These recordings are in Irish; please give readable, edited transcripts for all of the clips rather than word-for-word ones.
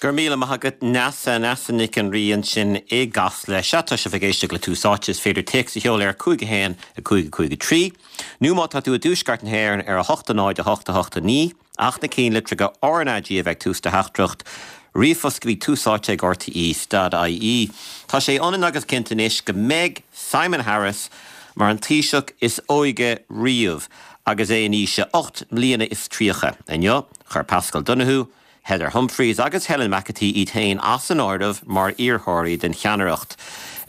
Go raibh míle maith agat Neasa, Neasa Nic an Rí ansin i gCasla. Sea, tá sibh ag éisteacht le Tús Áite, is féidir téacs a sheoladh ar 5 1 5 5 3, nó má tá tú i dTuaisceart na hÉireann ar 8 0 8 8 9, ach na cinnlitreacha RnaG a bheith ag tús do theachtaireacht. Ríomhphost go dtí Tús Áite ag RTÉ dot ie. Tá sé ionann agus cinnte anois go mbeidh Simon Harris mar an Taoiseach is óige riamh agus é in aois a 38 mbliana. Inniu, chuir Paschal Donohoe, Heather Humphreys agus Helen McEntee iad féin as an áireamh mar iarrthóirí don cheannaireacht.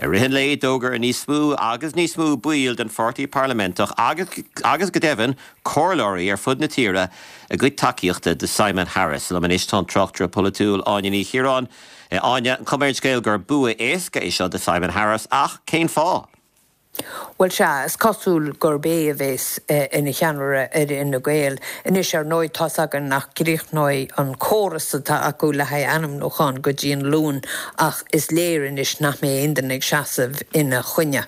I rith an lae, d'fhógair níos mó agus níos mó baill den pháirtí parlaiminteach agus, agus go deimhin, comhairleoirí ar fud na tíre a gcuid tacaíochta do Simon Harris. Liom anois tá an tráchtaire polaitiúil Áine Ní Chiaráin. Áine, an cuma ar an scéal gur bua éasca é seo do Simon Harris ach cén fáth? Bhuel, sea, is cosúil gurb é a bheas ina cheannaire ar Fhine Gael. Anois, ar ndóigh, tá's againn nach gcríochnóidh an córas atá acu le haghaidh ainmniúchán go dtí an Luan ach is léir anois nach mbeidh aon duine ag seasamh ina choinne.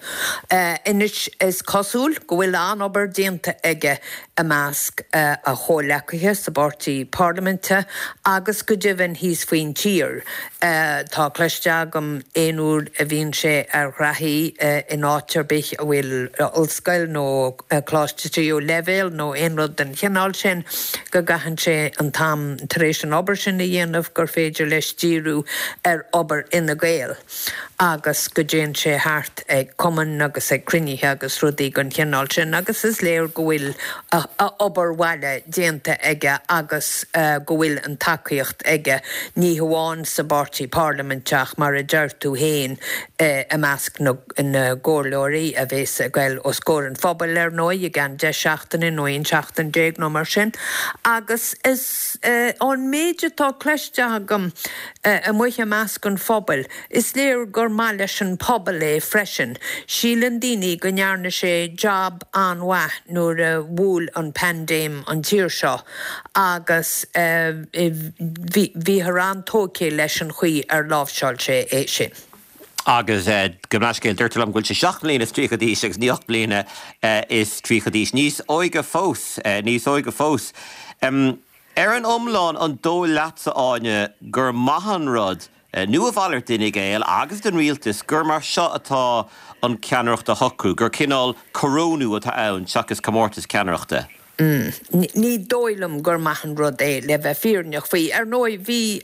Anois, is cosúil go bhfuil an-obair déanta aige i measc a chomhleacaithe sa bpáirtí parlaiminte agus go deimhin thíos faoin tír. Tá cloiste agam aon uair a bhíonn sé ar ghraithí in áit ar bith a bhfuil ollscoil nó coláiste tríú leibhéal nó aon rud den chineál sin go gcaitheann sé an t-am tar éis an obair sin a dhéanamh gur féidir leis díriú ar obair Fhine Gael. agus go dtéann sé thart ag cumainn agus ag cruinnithe agus rudaí den chineál sin agus is léir go bhfuil a obair bhaile déanta aige agus go bhfuil an tacaíocht aige, ní hamháin sa bpáirtí parlaiminteach, mar a deir tú féin, i measc na gcomhairleoirí a bheas ag goil os comhair an phobail, ar ndóigh, i gceann 10 seachtaine nó 11 seachtain nó mar sin. Agus is ón méid atá cloiste agam, Amuigh i measc an phobail, is léir gur maith leis an pobal é freisin. Síleann daoine go ndearna sé jab an-mhaith nuair a bhuail an paindéim an tír seo agus bhíothar an-tógtha leis an chaoi ar láimhseáil sé é sin. Agus gabh mo leithscéal, deirtear liom go bhfuil sé 7 mbliana is 30 d'aois agus ní 8 mbliana is 30 d'aois. Níos óige fós, níos óige fós. Ar an iomlán, an dóigh leatsa, Áine, gur maith an rud, nó a mhalairt d'Fhine Gael agus don rialtas, gur mar seo atá an ceannaireacht á shocrú, gur cineál corónú atá ann seachas comórtas ceannaireachta? Ní dóigh liom gur maith an rud é, le bheith fírinneach faoi. Ar ndóigh, bhí,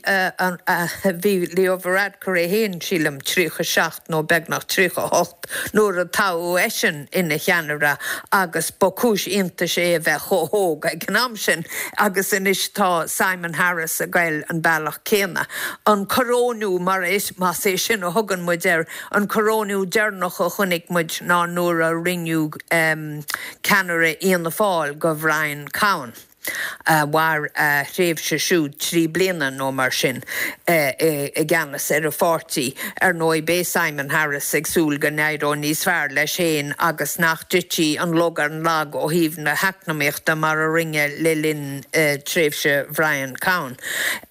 bhí Leo Varadkar é féin, sílim, 37 nó beagnach 38, nuair a toghadh eisean ina cheannaire agus ba chúis iontais é a bheith chomh hóg ag an am sin agus anois tá Simon Harris ag goil an bealach céanna. An coróiniú, mar más é sin a thugann muid air, an coróiniú deireanach a chonaic muid ná nuair a rinneadh ceannaire Fhianna Fáil de Bhrian Cowen. Mhair a thréimhse siúd 3 bliana nó mar sin i gceannas ar an pháirtí. Ar ndóigh, beidh Simon Harris ag súil go n-éireoidh níos fearr leis féin agus nach dtitfidh an lug ar an lag ó thaobh na heacnamaíochta mar a rinneadh le linn tréimhse Bhrian Cowen.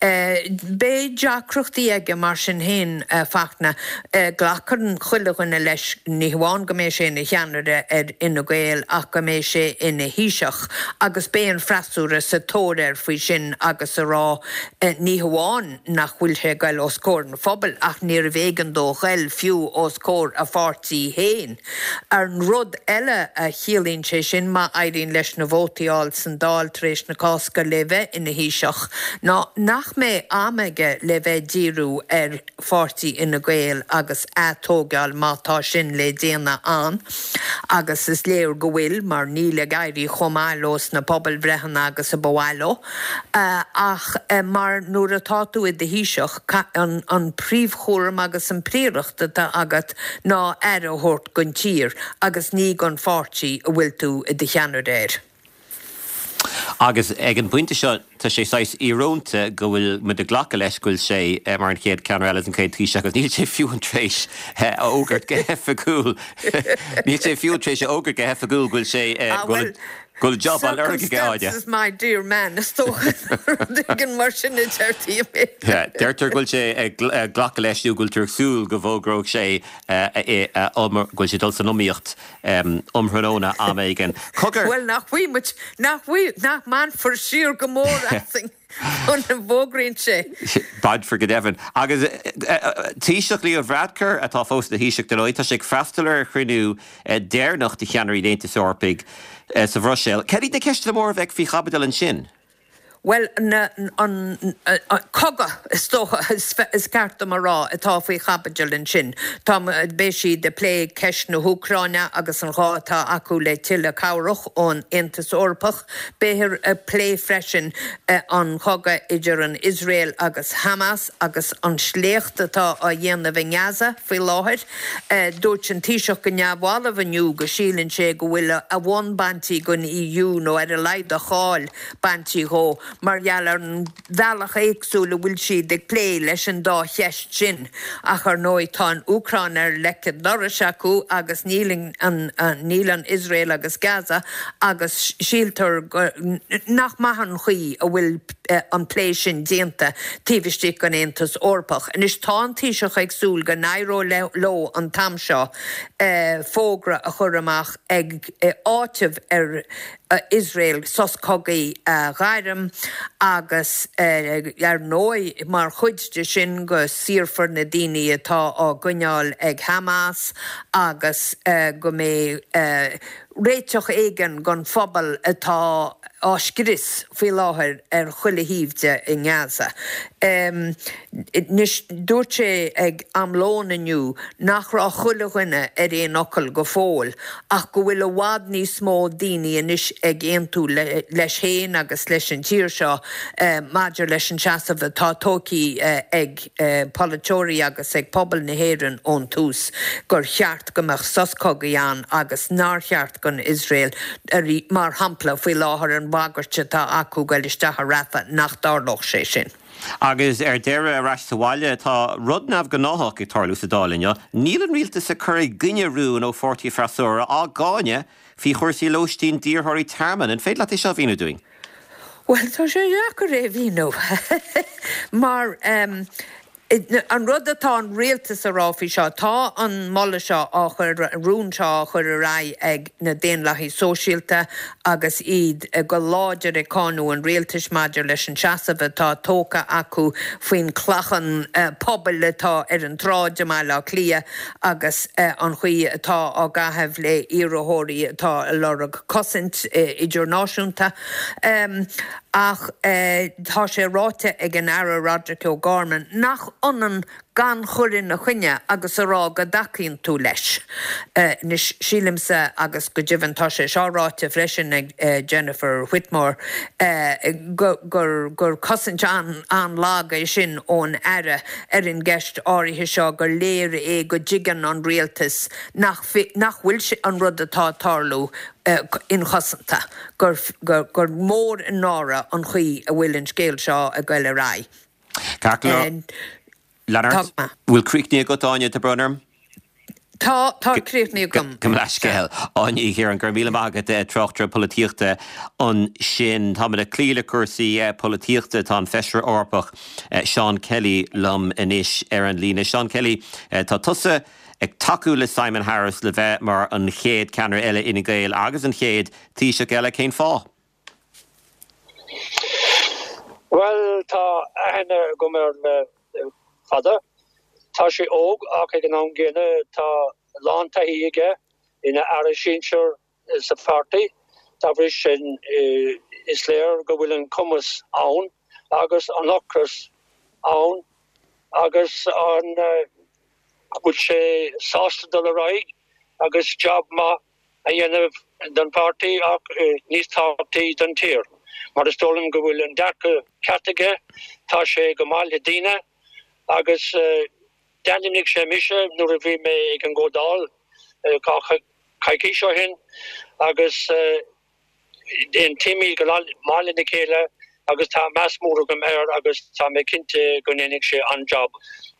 Beidh deacrachtaí aige mar sin féin, a Fachtna. Glacann chuile dhuine leis, ní hamháin go mbeidh sé ina cheannaire ar Fhine Gael ach go mbeidh sé ina Thaoiseach agus beidh an freasúra sa tóir air faoi sin agus a rá ní hamháin nach bhfuil sé ag goil os comhair an phobail ach níorbh éigean dó ghoil fiú os comhair a pháirtí féin. An rud eile a chiallaíonn sé sin, má éiríonn leis na vótaí a fháil san Dáil tar éis na Cásca le bheith ina Thaoiseach, ná nach mbeidh am aige le bheith ag díriú ar pháirtí Fhine Gael agus atógáil má tá sin le déanamh ann, agus is léir go bhfuil, mar níl ag éirí chomh maith leo sna pobalbhreitheanna agus a ba mhaith leo. Ach mar nuair atá tú i do Thaoiseach, an príomhchúram agus an phríoracht atá agat ná aire a thabhairt don tír agus ní don pháirtí a bhfuil tú i do cheannaire air. Agus ag an bpointe seo, tá sé saghas íorónta go bhfuil muid ag glacadh leis go bhfuil sé mar an chéad ceannaire eile, an chéad Taoiseach, agus níl sé fiú tar éis a fhógairt go hoifigiúil, níl sé fiú tar éis a fhógairt go hoifigiúil go bhfuil sé, go bhfuil, go bhfuil job á lorg aige, Áine. Circumstances my dear man, is dócha, rud éigin mar sin a deirtí i mBéarla. Deirtear go bhfuil sé ag glacadh leis nó go bhfuiltear ag súil go bhfógróidh sé go bhfuil sé ag dul san iomaíocht um thráthnóna am éigin. Cogar! Bhuel, nach bhfaighidh muid, nach bhfaighidh, nach mbainfear siar go mór asainn. Muna bhfógraíonn sé. Bainfear go deimhin. Agus Taoiseach Leo Varadkar, atá fós ina Thaoiseach dar ndóigh, tá sé ag freastal ar chruinniú deireanach de cheannairí an Aontais Eorpaigh sa Bhruiséil. Cad iad na ceisteanna móra a bheidh faoi chaibidil ansin? Bhuel, an cogadh, is dócha, is ceart dom a rá, atá faoi chaibidil ansin. Tá, beidh siad ag plé ceist na hÚcráine agus an gá atá acu le tuilleadh cabhrach ón Aontas Eorpach. Beifear ag plé freisin an cogadh idir an Iosrael agus Hamas agus an sléacht atá á dhéanamh i nGaza faoi láthair. Dúirt an Taoiseach go neamhbhalbh inniu go síleann sé go bhfuil a bhonn bainte den EU nó ar a laghad a cháil bainte dhó mar gheall ar an bhealach éagsúil a bhfuil siad ag plé leis an dá cheist sin. Ach ar ndóigh tá an Úcráin ar leic an dorais acu agus níl an níl an Iosrael agus Gaza agus síltear go nach maith an chaoi a bhfuil an plé sin déanta taobh istigh den Aontas Eorpach. Anois tá an Taoiseach ag súil go n-éireoidh leo an t-am seo fógra a chur amach ag áiteamh ar Iosrael sos cogaidh a ghairm agus, ar ndóigh, mar chuid de sin go saorfar na daoine atá á gcoinneáil ag Hamas agus go mbeidh réiteach éigin don phobal atá á scrios faoi láthair ar chuile thaobh de i nGaza. Anois, dúirt sé ag am lóin inniu nach raibh chuile dhuine ar aon fhocal go fóill ach go bhfuil i bhfad níos mó daoine anois ag aontú leis féin agus leis an tír seo maidir leis an seasamh atá tógtha ag polaiteoirí agus ag pobal na hÉireann ón tús gur cheart go mbeadh sos cogaidh ann agus nár cheart don Iosrael, mar shampla, faoi láthair an bhagairt atá acu goil isteach i Rafah, nach dtarlódh sé sin. Agus ar deireadh, ar ais sa bhaile, tá rud neamhghnáthach ag tarlú sa Dáil inniu. Níl an rialtas ag cur i gcoinne rúin ó pháirtí an freasúra á gcáineadh faoi chúrsaí lóistín d'iarrthóirí tearmainn. An féidir leat é seo a mhíniú dúinn? Bhuel, tá sé deacair é a mhíniú mar An rud atá an rialtas a rá faoi seo, tá an moladh seo á chur, an rún seo á chur ar aghaidh ag na Daonlathaigh Sóisialta agus iad go láidir ag cáineadh an rialtais maidir leis an seasamh atá tógtha acu faoin clachán pobail atá ar an tsráid i mBaile Átha Cliath agus an chaoi atá á gcaitheamh le iarrthóirí atá ag lorg cosaint idirnáisiúnta. Ach tá sé ráite ag an Aire Roderic O'Gorman nach ionann gan chur ina choinne agus a rá go dtacaíonn tú leis. Anois, sílimse, agus go deimhin tá sé seo ráite freisin ag Jennifer Whitmore, gur cosaint an-lag é sin ón Aire ar an gceist áirithe seo, gur léir é go dtuigeann an Rialtas nach bhfuil an rud atá ag tarlú inchosanta. gur gur mór an náire an chaoi a bhfuil an scéal seo ag goil ar aghaidh. Ceart go leor. Leonard, bhfuil críochnaithe agat, Áine, tá brón orm? Tá, tá críochnaithe agam. Gabh mo leithscéal. Áine Uí Chiaráin, go raibh míle maith agat, tráchtaire polaitíochta ansin. Táimid ag cloí le cúrsaí polaitíochta. Tá an Feisire Eorpach Seán Kelly liom anois ar an líne. Seán Kelly, tá tusa ag tacú le Simon Harris le bheith mar an chéad ceannaire eile Fhine Gael agus an chéad Taoiseach eile. Cén fáth? Bhuel, tá aithne agam air le fada. Tá sé óg ach ag an am gcéanna tá a lán taithí aige ina aire sinsir sa pháirtí. Dá bhrí sin, is léir go bhfuil an cumas ann agus an ocras ann agus an go bhfuil sé sásta dul ar aghaidh agus jab maith a dhéanamh don pháirtí ach níos tábhachtaí don tír mar is dóigh liom go bhfuil an dearcadh ceart aige, tá sé go maith le daoine agus d'ainmnigh sé mise nuair a bhí mé ag an gcomhdháil coicís ó shin agus Aontaímid go maith lena chéile agus tá meas mór agam air agus tá mé cinnte go ndéanfaidh sé an-jab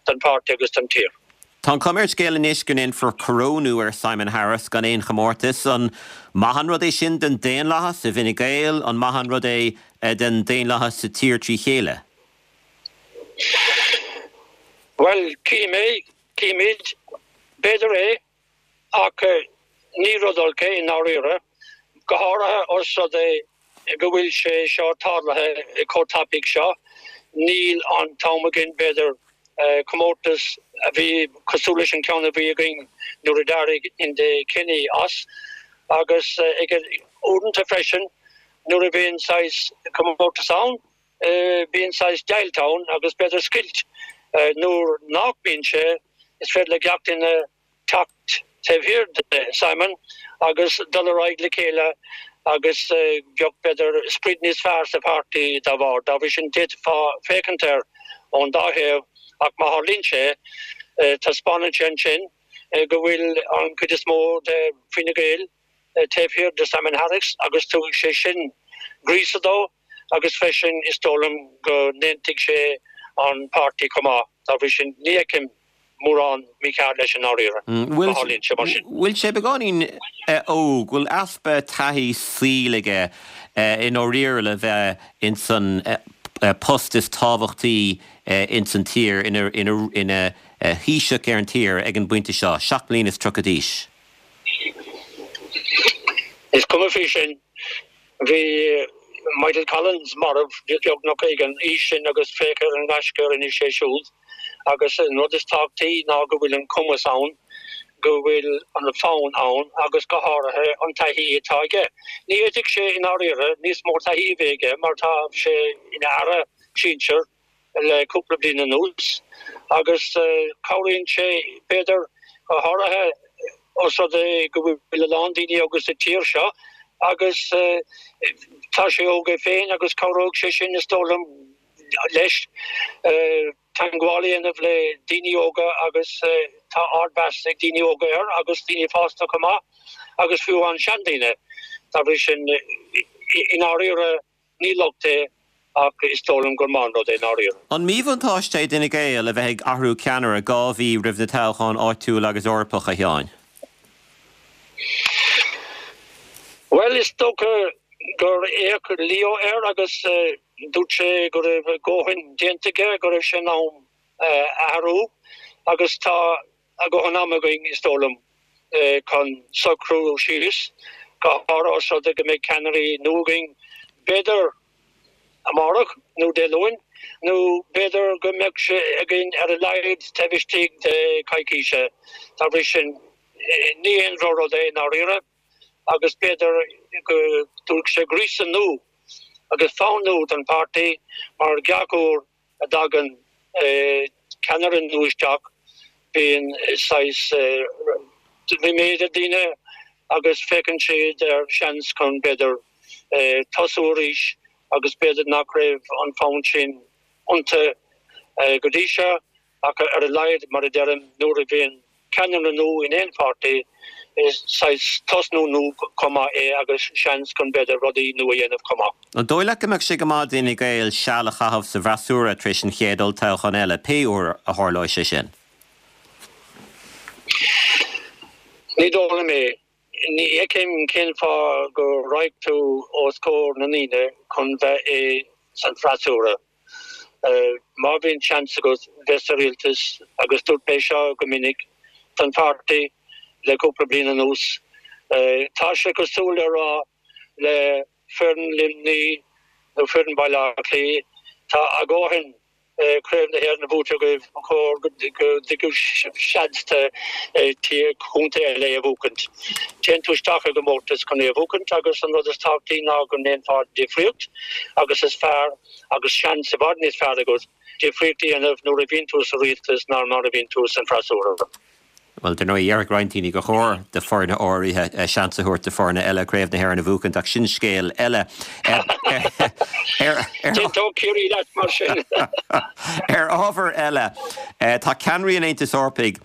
don pháirtí agus don tír. Tá an chuma ar an scéal anois go ndéanfar corónú ar Simon Harris gan aon chomórtas. An maith an rud é sin don daonlathas i bhFine Gael? An maith an rud é don daonlathas sa tír trí chéile? Bhuel, cífidh mé, cífimid. B'fhéidir é. Ach ní rud olc é i ndáiríre, go háirithe os rud é. go bhfuil sé seo tarlaithe chomh tapaidh seo. Níl an t-am againn, b'fhéidir, comórtas a bhí cosúil leis an ceann a bhí againn nuair a d'éirigh Enda Kenny as agus ag uaireanta freisin nuair a bhíonn saghas comórtas ann, bíonn saghas deighilt ann agus b'fhéidir scoilt. Nuair nach mbíonn sé, is féidir le gach duine teacht taobh thiar de Simon agus dul ar aghaidh le chéile agus bheadh, b'fhéidir, sprid níos fearr sa pháirtí dá bharr. Dá bhrí sin, d'fhéadfá féachaint air ón dá thaobh ach má tharlaíonn sé, taispeánann sé ansin go bhfuil an chuid is mó de Fine Gael taobh thiar de Simon Harris agus tabharfaidh sé sin gríosadh dó agus freisin is dóigh liom go n-aontóidh sé an páirtí chomh maith. Dá bhrí sin, ní fheicim mórán mícheart leis i ndáiríre, má tharlaíonn sé mar sin. Bhfuil sé beagáinín óg, bhfuil easpa taithí saoil aige i ndáiríre le bheith ins an post is tábhachtaí ins an tír, ina Thaoiseach ar an tír ag an bpointe seo, 37 mbliana d'aois? Is cuma faoi sin. Bhí Michael Collins marbh beagnach ag an aois sin agus féach ar an ngaisce a rinne sé siúd. Agus an rud is tábhachtaí ná go bhfuil an cumas ann, go bhfuil an fonn ann agus go háirithe an taithí atá aige. Ní fhéadfadh sé i ndáiríre níos mó taithí a bheith aige mar tá sé ina aire sinsir le cúpla bliain anuas agus cabhraíonn sé, b'fhéidir, go háirithe os rud é go bhfuil a lán daoine óga sa tír seo agus tá sé óg é féin agus cabhróidh sé sin, is dóigh liom, leis teagmháil a dhéanamh le daoine óga agus tá ardmheas ag daoine óga air agus daoine fásta chomh maith agus fiú amháin seandaoine. Dá bhrí sin, i ndáiríre, Ní locht é, ach is dóigh liom gur maith an rud é i ndáiríre. An míbhuntáiste é d'Fhine Gael a bheith ag athrú ceannaire 2 mhí roimh na toghcháin áitiúil agus Eorpach, a Sheáin? Bhuel, is dócha gur fhéach Leo air agus dúirt sé go raibh a dhóthain déanta aige, go raibh sé in am athrú agus tá a dhóthain ama againn, is dóigh liom, chun socrú síos, go háirithe os rud é go mbeidh ceannairí nua againn, b'fhéidir amárach nó Dé Luain, nó b'fhéidir go mbeadh sé againn ar a laghad taobh istigh de choicíse. Dá bhrí sin, ní haon drochrud é i ndáiríre, agus b'fhéidir go dtabharfaidh sé gríosadh nua agus fonn nua don pháirtí mar gach uair a dtagann ceannaire nua isteach, bíonn saghas ríméad ar daoine agus féachann siad ar seans chun, b'fhéidir, tosú arís agus b'fhéidir nach raibh an fonn sin iontu go dtí seo. Ach ar a laghad, mar a deirim, nuair a bhíonn ceannaire nua in aon pháirtí, is saghas tosnú nua chomh maith é agus seans chun b'fhéidir rudaí nua a dhéanamh chomh maith. An dóigh leat go mbeadh sé go maith d'Fhine Gael seal a chaitheamh sa bhfreasúra tar éis an chéad olltoghchán eile, pé uair a tharlóidh sé sin? Ní dóigh liom é. Ní fheicim cén fáth go raghadh tú os comhair na ndaoine chun bheith i san freasúra. Má bhíonn seans agat bheith sa rialtas, agus dúirt mé seo go minic don pháirtí le cúpla bliain anuas, tá sé cosúil le rá le foireann Luimnigh nó foireann Baile Átha Cliath, tá a dhóthain Craobh na hÉireann buaite agaibh, ba chóir go dtugadh seans do chontae eile é a bhuachaint. Téann tú isteach i gcomórtas chun é a bhuachaint agus an rud is tábhachtaí ná go ndéanfá difríocht agus is fearr agus seans i bhfad níos fearr agat difríocht a dhéanamh nuair a bhíonn tú sa rialtas ná mar a bhíonn tú san freasúra. Bhuel, dar ndóigh, déarfadh roinnt daoine gur chóir do foirne áirithe seans a thabhairt do foirne eile Craobh na hÉireann a bhuachaint, ach sin scéal eile. D'aontódh Ciarraí leat mar sin. Ar ábhar eile, tá ceannairí an Aontais Eorpaigh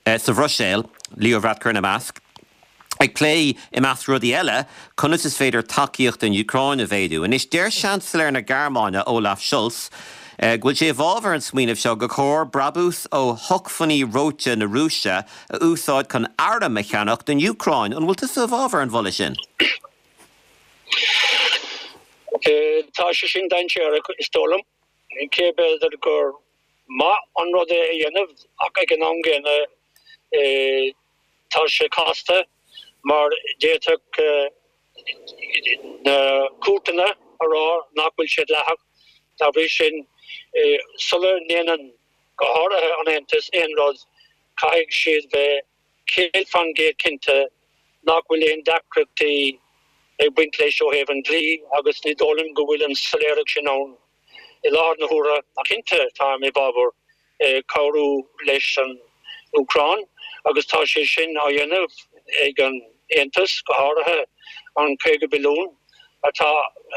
sa Bhruiséil, Leo Varadkar ina measc, ag plé, i measc rudaí eile, conas is féidir tacaíocht don Úcráin a mhéadú. Anois, deir Seansailéir na Gearmáine, Olaf Scholz, go bhfuil sé i bhfabhar an smaoinimh seo gur chóir brabús ó shócmhainní reoite na Rúise a úsáid chun airm a cheannach don Úcráin. An bhfuil tusa i bhfabhar an mholadh sin? Tá sé sin dainséarach, is dóigh liom. Cé b'fhéidir gur maith an rud é a dhéanamh ach ag an am gcéanna tá sé casta mar d'fhéadfadh. na cúirteanna a rá nach bhfuil sé dleathach. Dá bhrí sin, sula ndéanann, go háirithe an Aontas, aon rud, caithfidh siad bheith 100% cinnte nach bhfuil aon deacrachtaí ag baint leis ó thaobh an dlí agus ní dóigh liom go bhfuil an soiléireacht sin ann i láthair na huaire ach cinnte táim i bhfabhar cabhrú leis an Úcráin agus tá sé sin á dhéanamh ag an Aontas, go háirithe an 50 billiún atá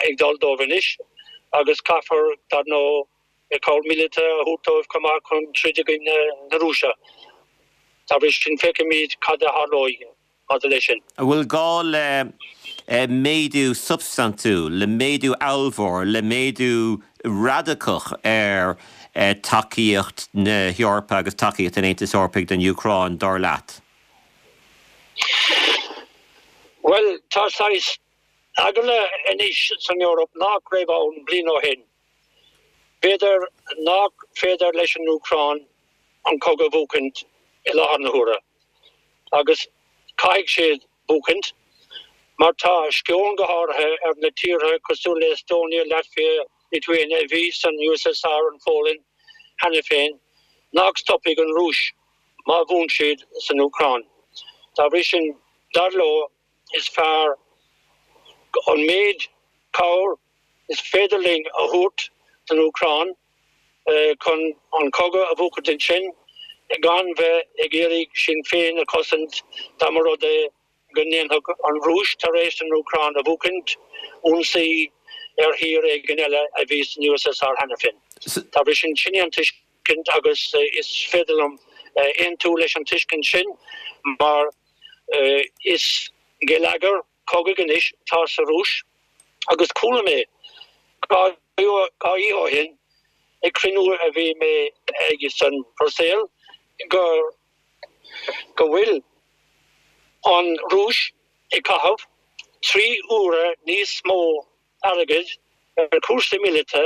ag dul dóibh anois agus caithfear, dar ndóigh, cabhair mhíleata a thabhairt dóibh chomh maith chun troid i gcoinne na Rúise. Dá bhrí sin feicfimid cad a tharlóidh maidir leis sin. An bhfuil gá le méadú substaintiúil, le méadú ollmhór, le méadú radacach ar tacaíocht na hEorpa agus tacaíocht an Aontais Eorpaigh don Úcráin, dar leat? Bhuel, tá saghas eagla anois san Eoraip nach raibh ann bliain ó shin. B'fhéidir nach féidir leis an Úcráin an cogadh a bhuachaint i láthair na huaire. Agus caithfidh siad buachaint, mar tá sceon go háirithe ar na tíortha cosúil le Estonia, Latvia, Lithuania a bhí san USSR, an Pholainn cheana féin, nach stopfaidh an Rúis má bhuann siad san Úcráin. Dá bhrí sin, dar leo, is fearr an méid cabhair is féidir linn a thabhairt don Úcráin chun an cogadh a bhuachaint ansin gan bheith ag iarraidh sinn féin a chosaint dá mba rud é go ndéanfadh an Rúis, tar éis an Úcráin a bhuachaint, ionsaí ar thír éigin eile a bhí san USSR cheana féin. Dá bhrí sin, sin é an tuiscint agus is féidir liom aontú leis an tuiscint sin mar is geilleagar cogaidh anois atá sa Rúis agus chuala mé 2 oíche ó shin ag cruinniú a bhí mé ag san Bhruiséil go go bhfuil an Rúis ag caitheamh 3 huaire níos mó airgid ar chúrsaí míleata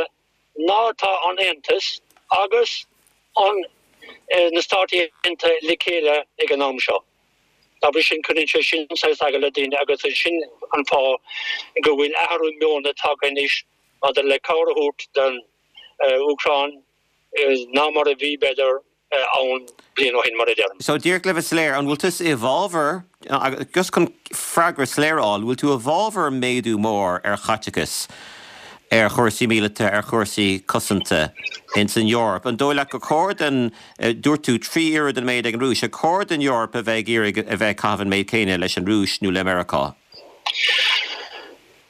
ná atá an Aontas agus an na Stáit Aontaithe le chéile ag an am seo. Dá bhrí sin, cuireann sé sin saghas eagla ar daoine agus sin an fáth go bhfuil athrú meoin tagtha anois maidir le cabhair a thabhairt don Úcráin ná mar a bhí, b'fhéidir, ann bliain ó shin, mar a deirim. So, díreach le bheith soiléir, an bhfuil tusa i bhfabhar, just chun freagra soiléir a fháil, an bhfuil tú i bhfabhar méadú mór ar chaiteachas ar chúrsaí míleata, ar chúrsaí cosanta ins an Eoraip? An dóigh leat gur chóir don, dúirt tú 3 oiread an méid ag an Rúis, ar chóir don Eoraip a bheith ag iarraidh a bheith ag caitheamh an méid céanna leis an Rúis nó le Meiriceá?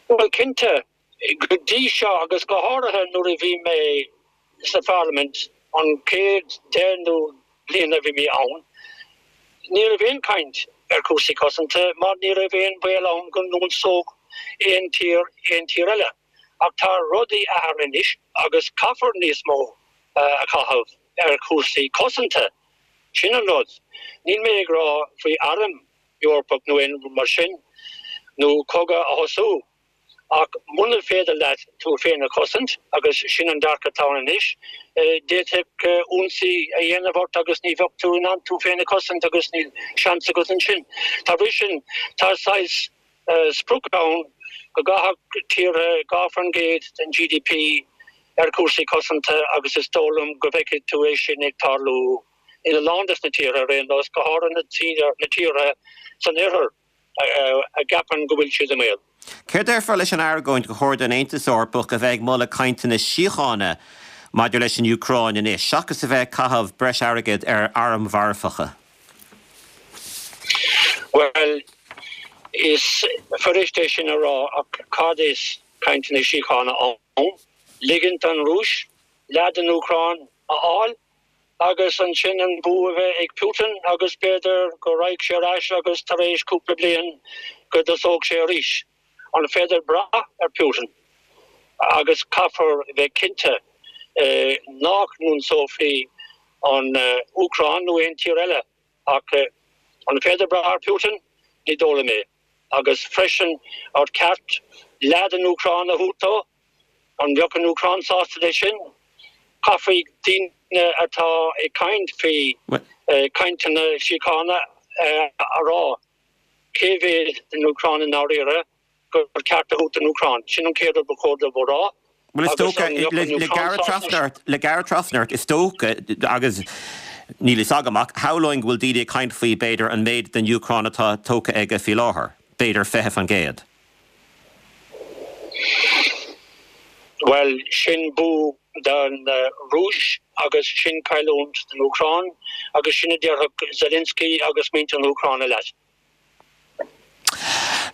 Bhuel, cinnte, Go dtí seo, agus go háirithe nuair a bhí mé sa pharlaimint an chéad 10 nó bliain a bhí mé ann, ní raibh aon chaint ar chúrsaí cosanta mar ní raibh aon bhaol ann go n-ionsódh aon tír aon tír eile. Ach tá rudaí athraithe anois agus caithfear níos mó a chaitheamh ar chúrsaí cosanta. Sin an rud. Níl mé ag rá faoi arm Eorpach nó aon rud mar sin, nó cogadh a thosú. Ach muna féidir leat tú féin a chosaint, agus sin an dearcadh atá ann anois, d'fhéadfadh ionsaí a dhéanamh ort agus ní bheadh tú in ann tú féin a chosaint agus níl seans agat ansin. Dá bhrí sin, tá saghas sprioc ann go gcaithfeadh tíortha 2% den GDP ar chúrsaí cosanta agus is dóigh liom go bhfeicfidh tú é sin ag tarlú ina lán des na tíortha ar aon nós, go háirithe na tíortha san oirthear. a gceapann go bhfuil siad i mbaol. Céard a déarfá leis an argóint gur chóir don Aontas Eorpach a bheith ag moladh cainteanna síochána maidir leis an Úcráin anois, seachas a bheith ag caitheamh breis airgid ar airm mharfacha? Bhuel, is fuirist é sin a rá, ach cad is cainteanna síochána ann? Ligint don Rúis leath den Úcráin a fháil? Agus ansin an bua a bheith ag Putin agus b'fhéidir go raghadh sé ar ais agus tar éis cúpla bliain go dtosódh sé arís. An féidir brath ar Putin? Agus caithfear bheith cinnte nach n-ionsófaí an Úcráin nó aon tír eile. Ach an féidir brath ar Putin? Ní dóigh liom é. Agus freisin ar cheart leath den Úcráin a thabhairt dó? An mbeadh an Úcráin sásta leis sin? Caithfidh daoine atá ag caint faoi chainteanna síochána a rá cé mhéad den Úcráin i ndáiríre. gur ceart a thabhairt don Úcráin. Sin an chéad rud ba chóir dóibh a rá. Bhuel, is dócha, le gearradh trasna ort, le gearradh trasna ort, is dócha, agus níl fhios agam ach shamhlóinn go bhfuil daoine ag caint faoi, b'fhéidir, an méid den Úcráin atá tógtha aige faoi láthair, b'fhéidir 20%. Bhuel, sin bua don Rúis agus sin cailliúint don Úcráin agus sin a déarfadh Zelensky agus muintir na hÚcráine leat.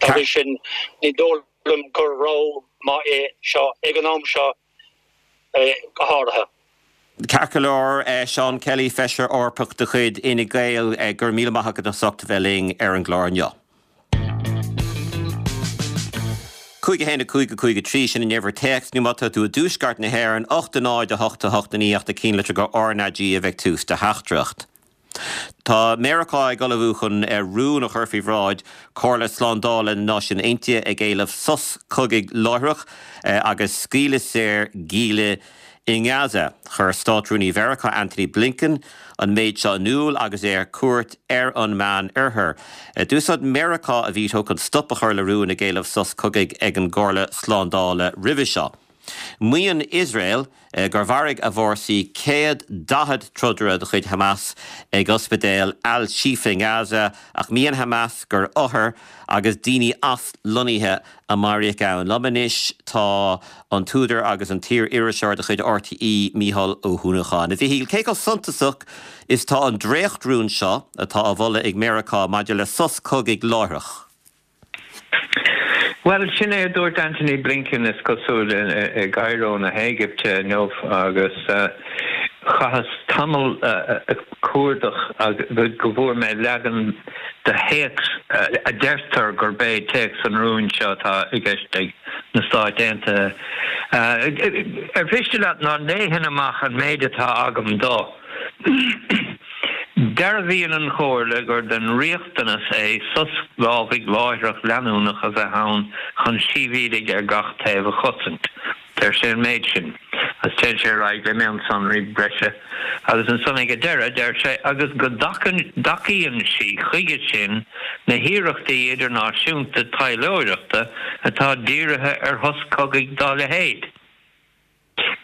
Dá bhrí sin, ní dóigh liom gur rogha maith é seo ag an am seo go háirithe. Ceart go leor, Seán Kelly, Feisire Eorpach de chuid Fhine Gael, go raibh míle maith agat as ucht a bheith linn ar an gclár inniu. 5 1 5 5 3, sin an uimhir téacs, nó má tá tú i dtuaisceart na hÉireann, 8 0 8 8 9 ach do chinnlitir go RnaG a bheidh tús do theachtaireacht. Tá Meiriceá ag ullmhú chun rún a chur faoi bhráid Chomhairle Slándála na Náisiún Aontaithe ag éileamh sos cogaidh láithreach agus scaoileadh saor gialla i nGaza. Chuir Státrúnaí Mheiriceá Antony Blinken an méid seo in iúl agus é ar cuairt ar an Meán Oirthear. D'úsáid Meiriceá a veto chun stop a chur le rún ag éileamh sos cogaidh ag an gComhairle Slándála roimhe seo. Maíonn Iosrael gur mharaigh a bhfórsaí 140 trodaire de chuid Hamas ag ospidéal Al-Shifa i nGaza, ach maíonn Hamas gur othair agus daoine aslonnaithe a maraíodh ann. Liom anois tá an t-údar agus an t-iar-iriseoir de chuid RTÉ, Mícheál Ó hUanacháin. A Mhichíl, cé chomh suntasach is tá an dréachtrún seo atá á mholadh ag Meiriceá maidir le sos cogaidh láithreach? Bhuel, sin é a dúirt Antony Blinken, is cosúil, i gCairo na hÉigipte inniu agus chaitheas tamall ag cuardach go bhfuair mé leagan de théacs a deirtear gurb é téacs an rúin seo atá i gceist ag na Stáit Aontaithe. Ar mhiste leat ná léifinn amach an méid atá agam dó? Dearbhaíonn an Chomhairle gur den riachtanas é sos lámhaigh láithreach leanúnach a bheith ann chun sibhialaigh ar gach taobh a chosaint. Deir sé an méid sin, agus téann sé ar aghaidh le mionsonraí breise, agus ansan ag an deireadh deir sé, agus go dtacaíonn sí chuige sin na hiarrachtaí idirnáisiúnta taidhleoireachta atá dírithe ar shos cogaidh dá leithéid.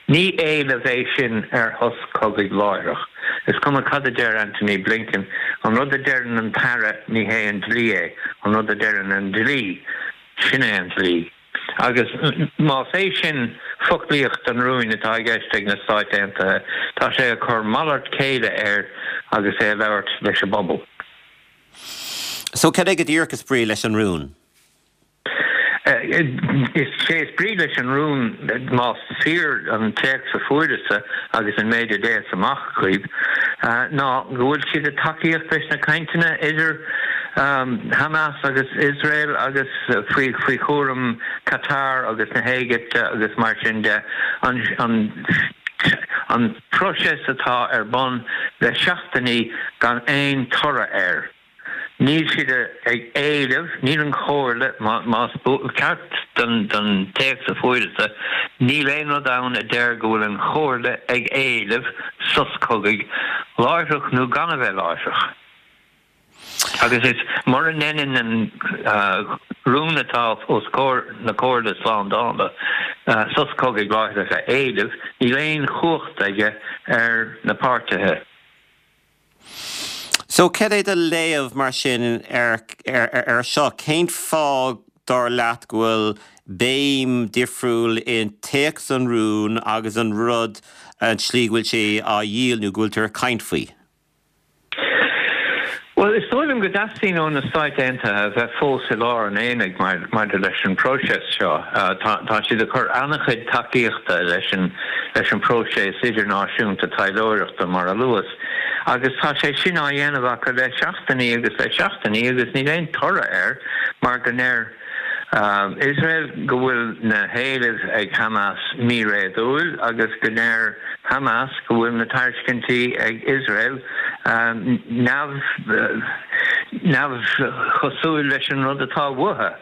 Ní éileamh é sin ar shos cogaidh láithreach. Is cuma cad a deir Antony Blinken, an rud a deireann an tAire, ní hé an dlí é, an rud a deireann an dlí, sin é an dlí. Agus más é sin foclaíocht an rúin atá i gceist ag na Stáit Aontaithe, tá sé ag cur malairt céille air agus é ag labhairt leis an bpobal. So, cad é go díreach is brí leis an rún? Is é is brí leis an rún, más fíor an téacs a fuaireas-sa agus an méid a léas amach dhaoibh, ná go bhfuil siad ag tacaíocht leis na cainteanna idir Hamas agus Iosrael agus faoi faoi chúram Qatar agus na hÉigipte agus mar sin de, an an próiseas atá ar bun le seachtainí gan aon toradh air. Níl siad ag éileamh, níl an Chomhairle, más ceart don téacs a fuaireas-sa, níl aon rud ann a deir go bhfuil an Chomhairle ag éileamh sos cogaidh, láithreach nó gan a bheith láithreach. Agus is mura ndeineann an rún atá os comhair na Comhairle Slándála sos cogaidh láithreach a éileamh, níl aon chumhacht aige ar na páirtithe. So, cad é do léamh mar sin ar ar seo? Cén fáth, dar leat, go bhfuil béim difriúil i dtéacs an rúin agus an rud, an tslí go bhfuil sé á dhíol nó go bhfuiltear ag caint faoi? Bhuel, is dóigh liom go dteastaíonn ó na Stáit Aontaithe a bheith fós i lár an aonaigh maidir leis an bpróiseas seo. Tá siad ag cur an-chuid tacaíochta leis an leis an bpróiseas idirnáisiúnta taidhleoireachta, mar a luas. Agus tá sé sin á dhéanamh acu le seachtainí agus le seachtainí agus níl aon toradh air mar go ndeir Iosrael go bhfuil na héilimh ag Hamas míréadúil agus go ndeir Hamas go bhfuil na tairiscintí ag Iosrael neamh neamhchosúil leis an rud atá uathu.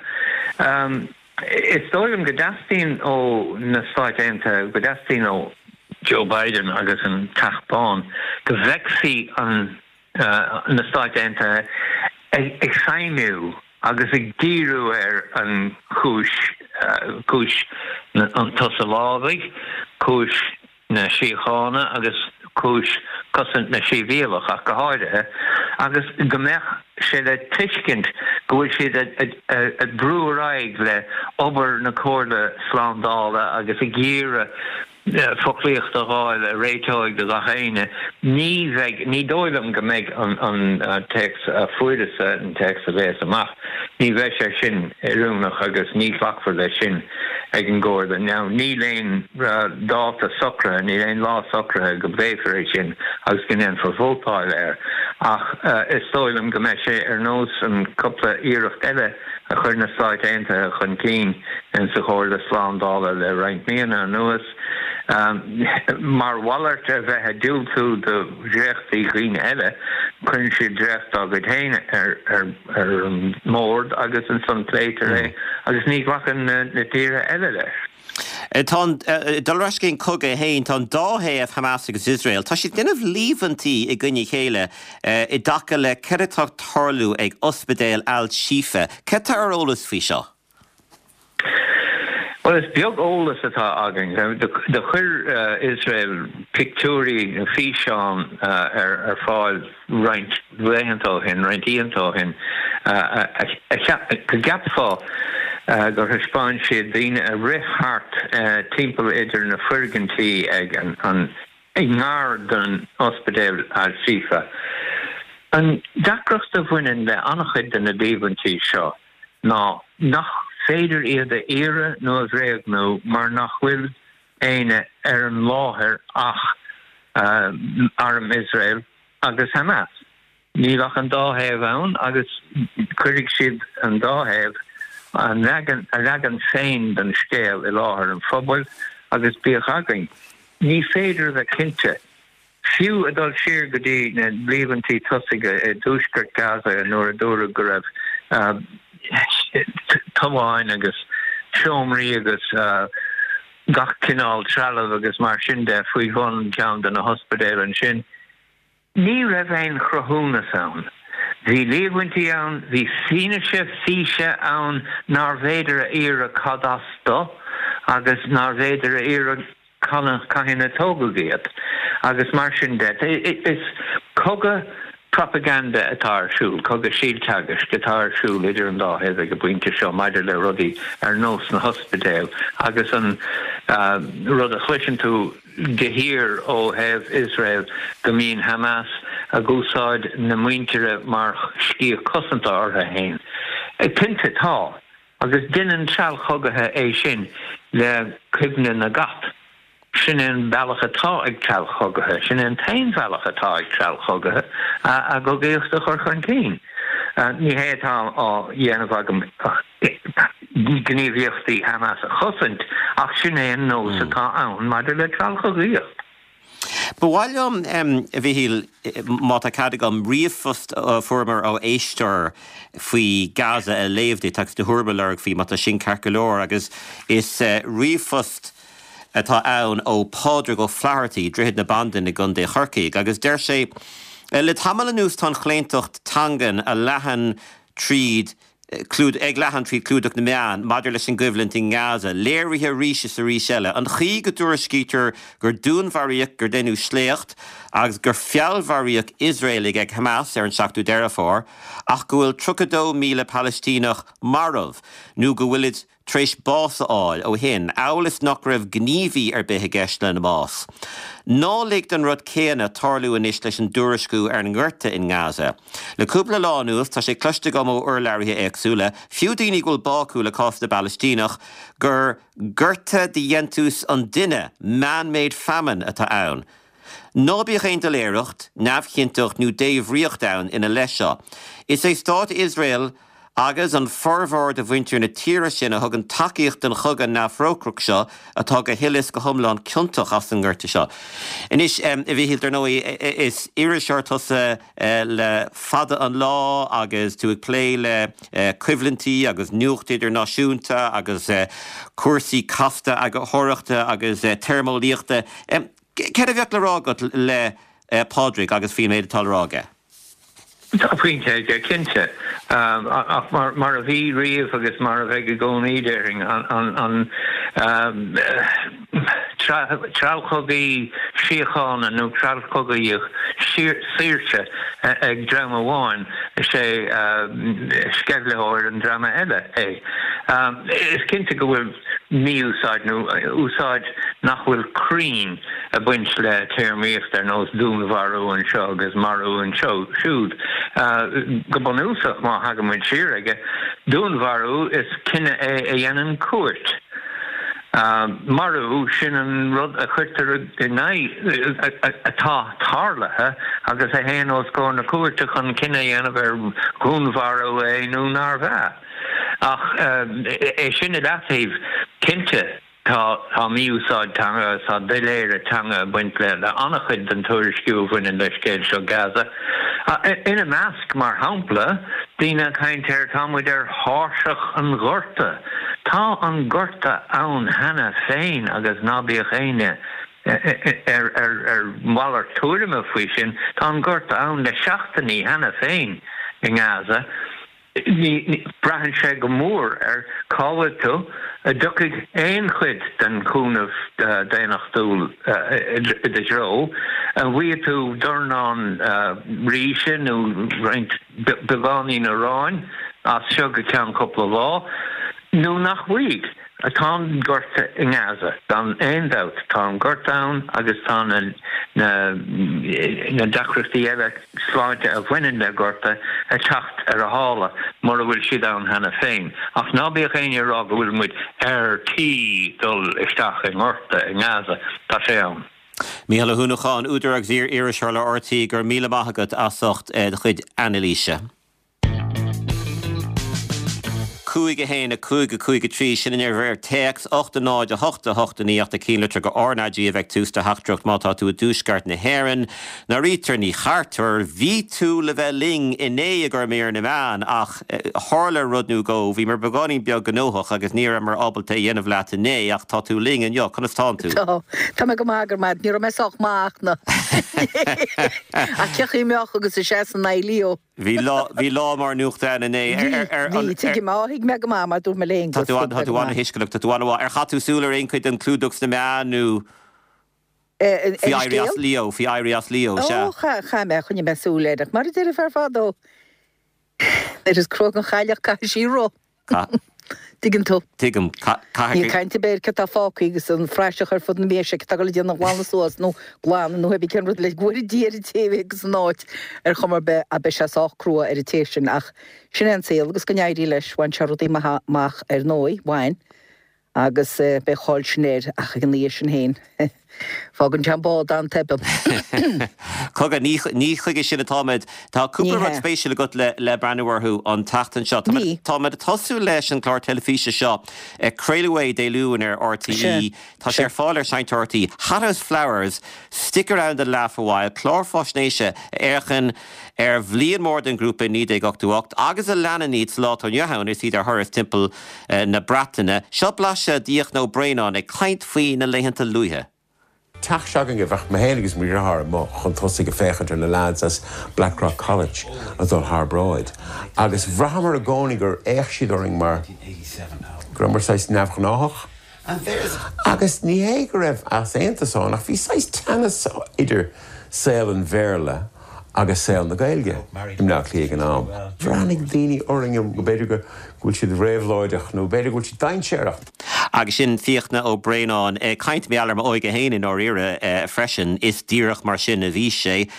Is dóigh liom go dteastaíonn ó na Stáit Aontaithe, go dteastaíonn ó Joe Biden agus an Teach Bán go bhfeicfí an na Stáit Aontaithe ag feidhmiú. agus ag díriú ar an chúis, cúis an tsosa lámhaigh, cúis na síochána agus cúis cosaint na sibhialtach ach go háirithe, agus go mbeadh sé le tuiscint go bhfuil siad ag brú ar aghaidh le obair na Comhairle Slándála agus ag iarraidh foclaíocht a dh'fháil a réiteoidh do gach éinne. Ní bheidh, ní dóigh liom go mbeidh an téacs a fuaireas-sa, an téacs a léas amach, ní bheidh sé sin oiriúnach agus ní ghlacfar leis sin ag an gComhairle. Now, níl aon dáta socraithe, níl aon lá socraithe go bpléifear é sin agus go ndéanfar vótáil air ach is dóigh liom go mbeidh sé ar nós an cúpla iarracht eile a chuir na Stáit Aontaithe chun cinn sa Chomhairle Slándála le roinnt míonna anuas, mar mhalairt ar bheith ag diúltú do dhréachtaí dhaoine eile, cuireann siad dréacht dá gcuid féin ar an mbord agus ansan pléitear é agus ní ghlacann na tíortha eile leis. Tá an, dul ar ais go dtí an cogadh é féin, tá an dá thaobh, Hamas agus Iosrael, tá siad ag déanamh líomhaintí i gcoinne a chéile i dtaca le céard atá ag tarlú ag ospidéal Al-Shifa. Céard atá ar eolas faoi seo? Bhuel, is beag eolas atá againn. Do chuir Iosrael pictiúirí nó físeán ar fáil roinnt laethanta ó shin, roinnt oícheanta ó shin, go gceapfá gur thaispeáin siad daoine a rith thart timpeall idir na foirgintí ag an i ngar don ospidéal Al-Shifa. An deacracht a bhaineann le an-chuid de na líomhaintí seo ná nach féidir iad a fhíorú nó a bhréagnú mar nach bhfuil éinne ar an láthair ach arm Iosrael agus Hamas. Níl ach an dá thaobh ann agus cuirfidh siad an dá thaobh a leagan a leagan féin den scéal i láthair an phobail agus bíodh againn. Ní féidir a bheith cinnte. Fiú ag dul siar go dtí na líomhaintí tosaigh i dtuaisceart Gaza nuair a dúradh go raibh tobháin agus seomraí agus gach cineál trealaimh agus mar sin de faoi bhun ceann de na hospidéil ansin, ní raibh aon chruthúnas ann. Bhí líomhaintí ann, bhí fianaise físe ann nárbh fhéidir a fhíorú cad as do agus nárbh fhéidir a fhíorú cathain a tógadh iad agus mar sin de. Is cogadh propaganda atá ar siúl, cogadh síolteagaisc atá ar siúl idir an dá thaobh ag an bpointe seo maidir le rudaí ar nós na hospidéil agus an rud a chloiseann tú de shíor ó thaobh Iosrael go mbíonn Hamas ag úsáid na muintire mar sciath cosanta orthu féin. Cinnte, tá. Agus deineann treallchogaithe é sin le cuimhne na gcat. Sin é an bealach atá ag treallchogaithe, sin é an t-aon bhealach atá ag treallchogaithe a gcogaíocht a chur chun cinn. Ní hé atá á dhéanamh agam gníomhaíochtaí Hamas a chosaint, ach sin é an nós atá ann maidir le treallchogaíocht. Ba mhaith liom, a Mhichíl, má tá cead agam, ríomhphost a fuaireamar ó éisteoir faoi Gaza a léamh duit agus do thuairim a lorg faoi, má tá sin ceart go leor. Agus is ríomhphost atá ann ó Phádraig Ó Flathartaigh, Droichead na Bandan i gContae Chorcaí, agus deir sé, Le tamall anuas tá an chlaontacht teangan a leathann tríd ag leathadh tríd clúdach na meán maidir leis an gcoimhlint i nGaza, léirithe arís is arís eile. An chaoi go dtuairiscítear gur dúnmharaíodh, gur deineadh sléacht agus gur feallmharaíodh Iosraelaigh ag Hamas ar an 7ú Deireadh Fómhair ach go bhfuil 32,000 Palaistíneach marbh nó go bhfuilid tar éis bás a fháil ó shin, amhail is nach raibh gníomhaí ar bith i gceist lena mbás. Ná lig don rud céanna tarlú anois leis an dtuairisciú ar an ngorta in nGaza. Le cúpla lá anuas, tá sé cloiste agam ó urlabhraithe éagsúla, fiú daoine go bhfuil bá acu le cás na bPalaistíneach, gur gorta de dhéantús an duine, man-made famine, atá ann. Ná bíodh aon doiléireacht, neamhchinnteacht nó débhríocht ann ina leith seo. Is é Stát Iosrael agus an formhór de mhuintir na tíre sin a thugann tacaíocht don chogadh neamhthrócaireach seo atá go huile is go hiomlán ciontach as an ngorta seo. Anois, a Mhichíl, dar ndóigh, is iriseoir tusa le fada an lá agus tú ag plé le coimhlintí agus nuacht idirnáisiúnta agus cúrsaí casta eagarthóireachta agus téarmeolaíochta. Céard a bheadh le rá agat le Pádraig agus faoin méid atá le rá aige? Tá pointe aige, cinnte. Ach mar a bhí riamh agus mar a bheidh i gcónaí, déarfainn, an treallchogaí síochána nó treallchogaí saoirse ag dream amháin, is é sceimhlitheoir an dreama eile é. Is cinnte go bhfuil mí-úsáid nó úsáid nach bhfuil cruinn ag baint le téarmaíocht ar nós dúnmharú anseo agus marú anseo siúd. Go bunúsach, má thagann muid siar aige, dúnmharú, is cinneadh é a dhéanann cúirt. Marú, sin an rud a chuirtear in aghaidh, atá tarlaithe agus a théann os comhair na cúirte chun cinneadh a dhéanamh ar dhúnmharú é nó nárbh ea. Ach é sin i leataobh, cinnte, tá mí-úsáid teanga agus tá doiléire teanga ag baint le an-chuid den tuairisciú a bhaineann le scéal seo Gaza. Ina measc, mar shampla, daoine ag caint ar tá muid ar thairseach an ghorta. Tá an gorta ann cheana féin agus ná bíodh éinne ar mhalairt tuairime faoi sin, tá an gorta ann le seachtainí cheana féin i nGaza. Braitheann sé go mór ar cá bhfuil tú, an dtiocfaidh aon chuid den chúnamh daonnachtúil i do threo, an bhfaighidh tú dornán ríse nó roinnt beagáinín aráin as seo go ceann cúpla lá, nó nach bhfaighidh. Tá an gorta i nGaza, gan aon dabht. Tá an gorta ann agus tá na deacrachtaí eile sláinte a bhaineann le gorta ag teacht ar a shála, mura bhfuil siad ann cheana féin. Ach ná bíodh éinne ag rá go bhfuil muid ar tí dul isteach i ngorta i nGaza. Tá sé ann. Mícheál Ó hUanacháin, údar agus iar-iriseoir le RTÉ, go raibh míle maith agat as ucht do chuid anailíse. 5 1 5 5 3, Sin an uimhir téacs, 8 0 8 8 9 8 an ceannlitir go RnaG a bheidh tús do theachtaireacht má tá tú i dtuaisceart na hÉireann. Norita Ní Chartúir, bhí tú le bheith linn inné i gcomhair mír na meán ach tharla rud nó dhó, bhíomar beagáinín beag gnóthach agus ní rabhamar ábalta é a dhéanamh leat inné ach tá tú linn inniu, conas tánn tú? Tá, tá mé go maith, go raibh maith agat, ní raibh mé sách maith ach na ach cén chaoi a mbeadh agus ag seasamh in aghaidh Leo. Bhí lá, bhí lá mór nuachta ann inné. Bhí, bhí, tuigim, á, thuig mé go maith mar dúirt mé le Aonghus, thuig mé go maith. Tá tú an-thuisceanach, tá tú an-mhaith. Ar chaith tú súil ar aon chuid den chlúdach sna meáin nó Ar faoi an éirí as scéal? Leo, faoi éirí as Leo, sea. Ó, chaith, chaith mé, choinnigh mé súil air, ach mar a deir an fear fadó, nuair is cruaidh an chailleach caithfidh sí rith. Tuigeann tú. Tuigim. Níl caint ar bith ar cad tá fágtha agus an phraiseach ar fud na mbéise cad tá ag dul a déanamh glanadh suas nó glanadh nó pé cén rud le go bhfóire Dia ar an té a bheidh san áit ar chuma ar bith ach beidh sé sách crua ar an té sin ach sin é an saol agus go n-éirí leis bhain sé rudaí maithe amach ar ndóigh, bhain. Agus beidh an cháil sin air, ach ag an aois sin féin, fágann sé an bád an-tobann. Cogar, ní chuige sin atáimid. Tá cúpla rud spéisiúil agat le breathnú orthu an tseachtain seo. Táimid ag tosú leis an gclár teilifíse seo, craoladh é Dé Luain ar RTÉ. Tá sé ar fáil ar Seinnteoir RTÉ. Hothouse Flowers, Stick Around and Laugh a While, clár faisnéise a fhéachann ar bhliain mhór don ghrúpa i 1988 agus a leanann iad sa lá atá inniu ann is iad ar thuras timpeall na Breataine. Seo blaiseadh d'Fhiachna Ó Braonáin ag caint faoi na laethanta luaithe. Teach s'againne, bheadh mé féin agus mo dheartháir amuigh chun tosaigh ag féachaint ar na leaids as Blackrock College ag dul thar bráid agus bhraitheamar i gcónaí gur fhéach siad orainn mar go rabhamar saghas neamhghnáthach. Agus ní hé go raibh easaontas ann ach bhí saghas teannas idir saol an Bhéarla agus saol na Gaeilge i mBleá Cliath ag an am. Bhreathnaigh daoine orainn go b'fhéidir go bhfuil siad réabhlóideach nó b'fhéidir go bhfuil siad dainséarach. Agus sin Fiachna Ó Braonáin ag caint mar gheall ar m'óige féin i ndáiríre freisin. Is díreach mar sin a bhí sé,